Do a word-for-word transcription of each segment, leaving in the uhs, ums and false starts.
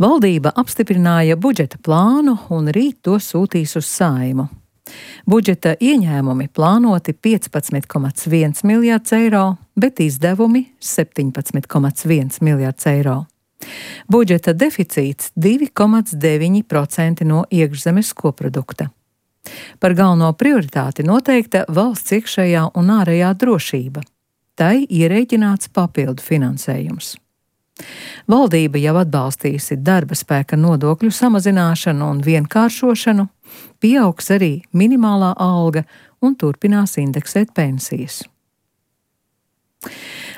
Valdība apstiprināja budžeta plānu un rīt to sūtīs uz Saeimu. Budžeta ieņēmumi plānoti piecpadsmit komats viens miljards eiro, bet izdevumi septiņpadsmit komats viens miljards eiro. Budžeta deficīts divi komats deviņi procenti no iekšzemes koprodukta. Par galveno prioritāti noteikta valsts iekšējā un ārējā drošība. Tai ierēķināts papildu finansējums. Valdība jau atbalstījusi darba spēka nodokļu samazināšanu un vienkāršošanu, pieaugs arī minimālā alga un turpinās indeksēt pensijas.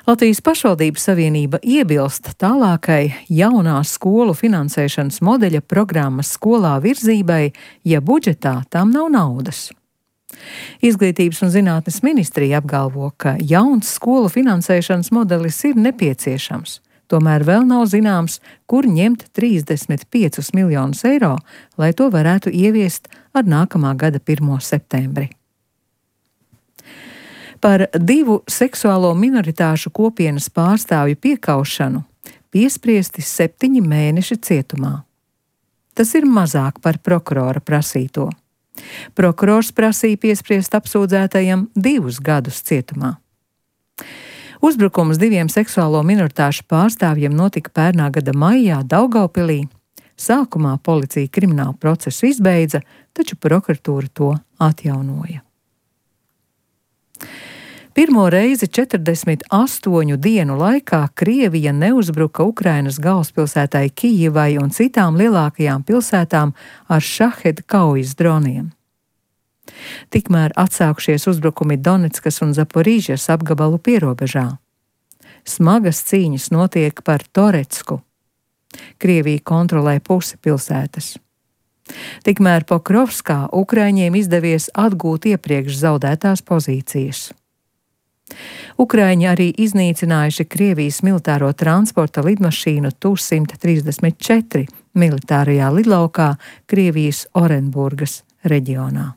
Latvijas pašvaldību savienība iebilst tālākai jaunās skolu finansēšanas modeļa programmas skolā virzībai, ja budžetā tam nav naudas. Izglītības un zinātnes ministrija apgalvo, ka jauns skolu finansēšanas modelis ir nepieciešams. Tomēr vēl nav zināms, kur ņemt trīsdesmit piecus miljonus eiro, lai to varētu ieviest ar nākamā gada pirmo septembri. Par divu seksuālo minoritāšu kopienas pārstāvju piekaušanu piespriesti septiņi mēneši cietumā. Tas ir mazāk par prokurora prasīto. Prokurors prasīja piespriest apsūdzētajam divus gadus cietumā. Uzbrukums diviem seksuālo minoritāšu pārstāvjiem notika pērnā gada maijā Daugavpilī. Sākumā policija kriminālu procesu izbeidza, taču prokuratūra to atjaunoja. Pirmo reizi četrdesmit astoņu dienu laikā Krievija neuzbruka Ukrainas galvaspilsētai Kijivai un citām lielākajām pilsētām ar šaheda kaujas droniem. Tikmēr atsākušies uzbrukumi Doneckas un Zaporīžas apgabalu pierobežā. Smagas cīņas notiek par Toretsku. Krievija kontrolē pusi pilsētas. Tikmēr Pokrovskā Ukraiņiem izdevies atgūt iepriekš zaudētās pozīcijas. Ukraiņi arī iznīcinājuši Krievijas militāro transporta lidmašīnu Tu simt trīsdesmit četri militārajā lidlaukā Krievijas Orenburgas reģionā.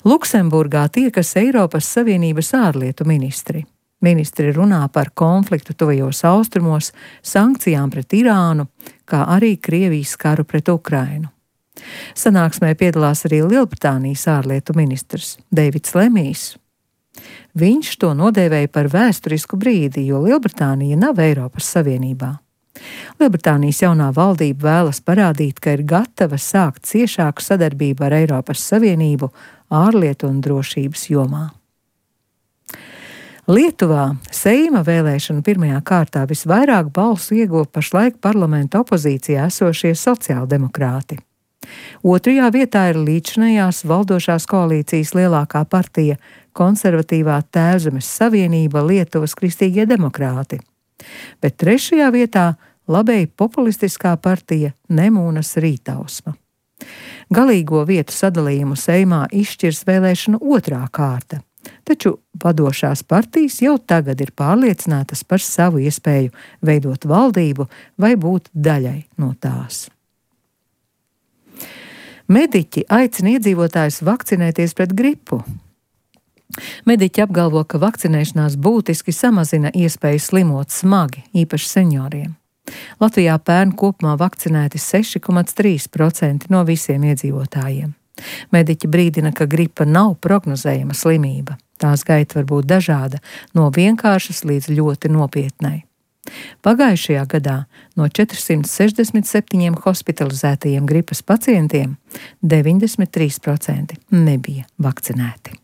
Luksemburgā tiekas Eiropas Savienības ārlietu ministri. Ministri runā par konfliktu tuvajos austrumos, sankcijām pret Irānu, kā arī Krievijas karu pret Ukrainu. Sanāksmē piedalās arī Lielbritānijas ārlietu ministrs Deivids Lemijs. Viņš to nodēvēja par vēsturisku brīdi, jo Lielbritānija nav Eiropas Savienībā. Lielbritānijas jaunā valdība vēlas parādīt, ka ir gatava sākt ciešāku sadarbību ar Eiropas Savienību ārlietu un drošības jomā. Lietuvā Seima vēlēšanu pirmajā kārtā visvairāk balsu ieguva pašlaik parlamenta opozīcijā esošie sociāldemokrāti. Otrajā vietā ir līdzinājās valdošās koalīcijas lielākā partija konservatīvā Tēvzemes savienība Lietuvas kristīgie demokrāti, bet trešajā vietā labēji populistiskā partija Nemūnas Rītausma. Galīgo vietu sadalījumu Seimā izšķirs vēlēšanu otrā kārta, taču vadošās partijas jau tagad ir pārliecinātas par savu iespēju veidot valdību vai būt daļai no tās. Mediķi aicina iedzīvotājus vakcinēties pret gripu. Mediķi apgalvo, ka vakcinēšanās būtiski samazina iespēju slimot smagi, īpaši senioriem. Latvijā pērn kopumā vakcinēti seši komats trīs procenti no visiem iedzīvotājiem. Mediķi brīdina, ka gripa nav prognozējama slimība. Tās gaita var būt dažāda, no vienkāršas līdz ļoti nopietnai. Pagājušajā gadā no četrsimt sešdesmit septiņiem hospitalizētajiem gripas pacientiem deviņdesmit trīs procenti nebija vakcinēti.